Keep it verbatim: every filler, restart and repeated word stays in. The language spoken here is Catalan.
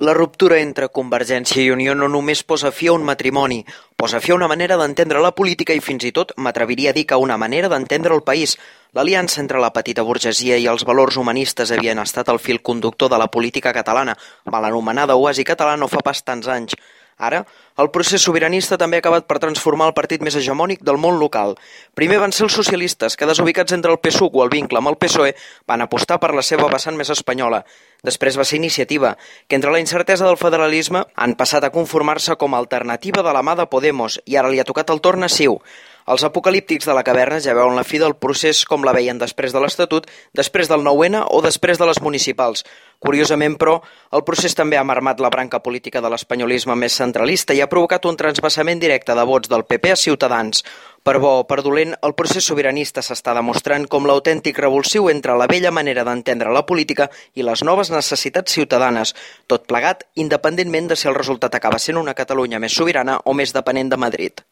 La ruptura entre Convergència i Unió no només posa fi a un matrimoni, posa fi a una manera d'entendre la política i fins i tot m'atreviria a dir que una manera d'entendre el país. L'aliança entre la petita burgesia i els valors humanistes havien estat el fil conductor de la política catalana, mal anomenada oasi català no fa pas tants anys. Ara, el procés sobiranista també ha acabat per transformar el partit més hegemònic del món local. Primer van ser els socialistes, que desubicats entre el P S U o el vincle amb el P S O E, van apostar per la seva vessant més espanyola. Després va ser Iniciativa, que entre la incertesa del federalisme han passat a conformar-se com a alternativa de la mà de Podemos i ara li ha tocat el torn a Ciu. Els apocalíptics de la caverna ja veuen la fi del procés com la veien després de l'Estatut, després del nou ene o després de les municipals. Curiosament, però, el procés també ha marmat la branca política de l'espanyolisme més centralista i ha provocat un transvasament directe de vots del P P a Ciutadans. Per bo o per dolent, el procés sobiranista s'està demostrant com l'autèntic revulsiu entre la vella manera d'entendre la política i les noves necessitats ciutadanes, tot plegat independentment de si el resultat acaba sent una Catalunya més sobirana o més depenent de Madrid.